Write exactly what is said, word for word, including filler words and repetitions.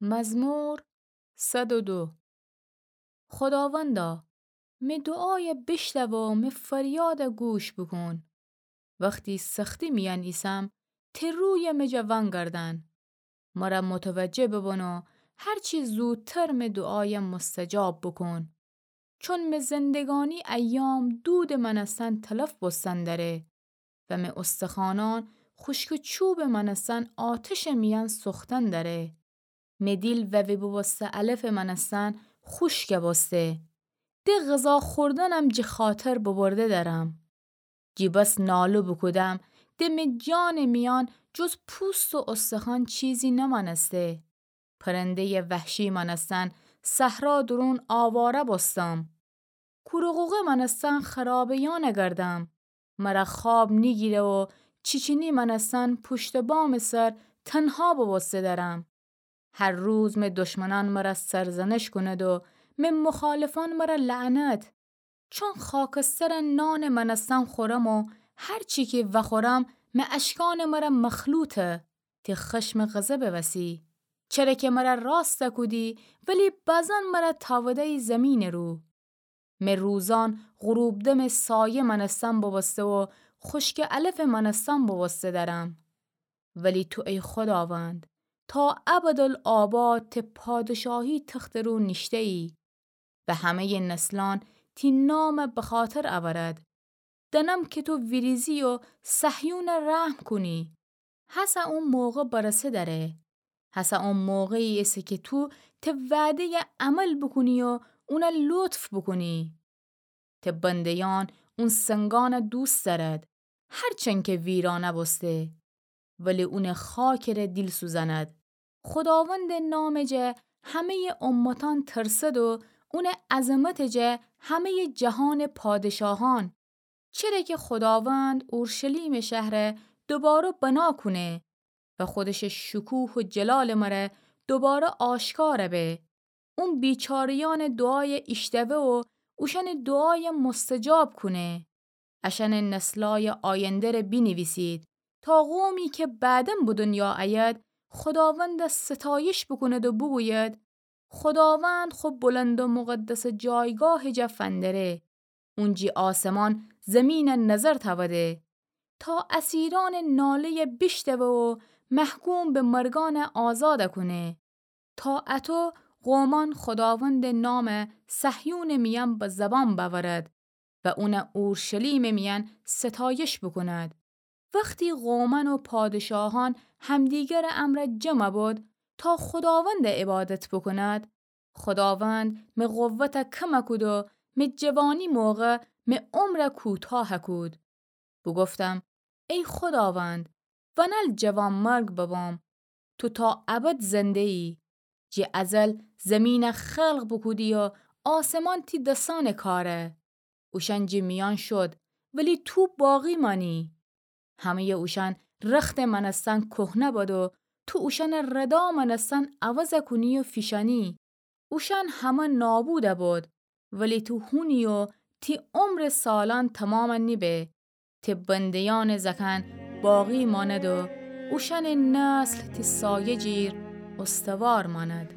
مزمور صد و دو. خوداوندا، می دوعایَ بیشنو و می فریادَ گوش بوکون. وختی سختی میأن ایسم، تی رویَ می جا ونگردن. مرَ متوجه ببون و هرچی زودتر می دوعایَ مستجاب بوکون. چون می زندگانی ایام دودٚ مأنستن تلف بوستن دره و می استخوانان خوشکٚ چوبٚ مأنستن آتشٚ میأن سوختن دره. می دیل ووی بوبوسته علفٚ مأنستن خوشکَ بوسته. د غذا خوردنم جٚه خاطر ببرده درم. جی بس ناله بوکودم، د می جانٚ میأن جز پوست و استخوان چیزی نمأنسته. پرنده‌یٚ وحشی مأنستن صحرا دورون آواره بوستم. کور و قوقه مأنستن خرابه‌یأنَ گردم. مرَ خواب نیگیره و چیچینی مأنستن پشتٚ بامٚ سر تنها بوبوسته درم. هر روز می دشمنان مرَ سرزنش کونید و می مخالفان مرَ لعنت. چون خاکسترٚ نانٚ مأنستن خورم و هرچی کی وخورم می اشکأنٚ مرَ مخلوطه. تی خشم و غضبٚ وسی. چره کی مرَ راستَ کودی، ولی بزن مرَ تأوده‌یی زیمینٚ رو. می روزان غروب دمٚ سایه مأنستن بوبوسته و خوشکٚ علفٚ مأنستن بوبوسته درم. ولی تو ای خوداوند، تا ابدالآباد تی پادشاهی تختٚ رو نیشته‌یی و همه‌یٚ نسلأن تی نامَ بخاطر اورد. دأنم کی تو ویریزی و صهیونَ رحم کونی. هسه او موقع برسه دره. هسه او موقعی ایسه کی تو تی وعده‌یَ عمل بوکونی و اونَ لطف بوکونی. تی بنده‌یأن اون سنگأنَ دوست دأرد، هرچند کی ویرانه بوسته، ولی اونٚ خاکٚ ره دیل سوزأند. خوداوندٚ نامٚ جا همه‌یٚ امتأن ترسد و اونٚ عظمتٚ جا همه‌یٚ جهانٚ پادشاهأن. چره کی خوداوند اورشلیمٚ شهرَ دوباره بنا کونه و خودشٚ شکوه و جلالٚ مره دوباره آشکار به. اون بیچاره‌یأنٚ دوعایَ ایشنوه و اوشأنٚ دوعایَ مستجاب کونه. اشأنٚ نسلأیٚ آینده‌ره بینیویسید، تا قومی کی بعدم به دنیا ایید، خوداوندَ ستایش بوکوند و بوگوید: خوداوند خو بلند و مقدسٚ جایگاهٚ جا فندره. اون جی آسمان زیمینَ نظر تأوده، تا اسیرأنٚ ناله‌یَ بیشنوه و محکوم به مرگأنَ آزادَ کونه. تا اطو قومأن خوداوندٚ نامَ صهیونٚ میأن به زبان بأورد و اونَ اورشلیمٚ میأن ستایش بوکوند. وختی قومأن و پادشاهأن همدیگرٚ امرأ جمع بود، تا خوداوندَ عبادت بوکوند، خوداوند می قوتَ کم کود و می جوانی موقع می عمرَ کوتاه کود. بوگفتم: ای خوداوند، ونل جوانمرگ ببم، تو تا ابد زنده‌یی. جی ازل زیمینَ خلق بوکودی و آسمان تی دسأنٚ کاره. اوشأن جی میأن شد، ولی تو باقی مأنی. همه‌یٚ اوشأن رختٚ مأنستن کهنه بد و تو اوشأنَ ردا مأنستن عوضَ کونی و فیشأنی. اوشأن همه نابودَ بد، ولی تو هونی و تی عمرٚ سالأن تومامَ نیبه. تی بنده‌یأنٚ زأکأن باقی مأند و اوشأنٚ نسل تی سایه جیر استوار مأند.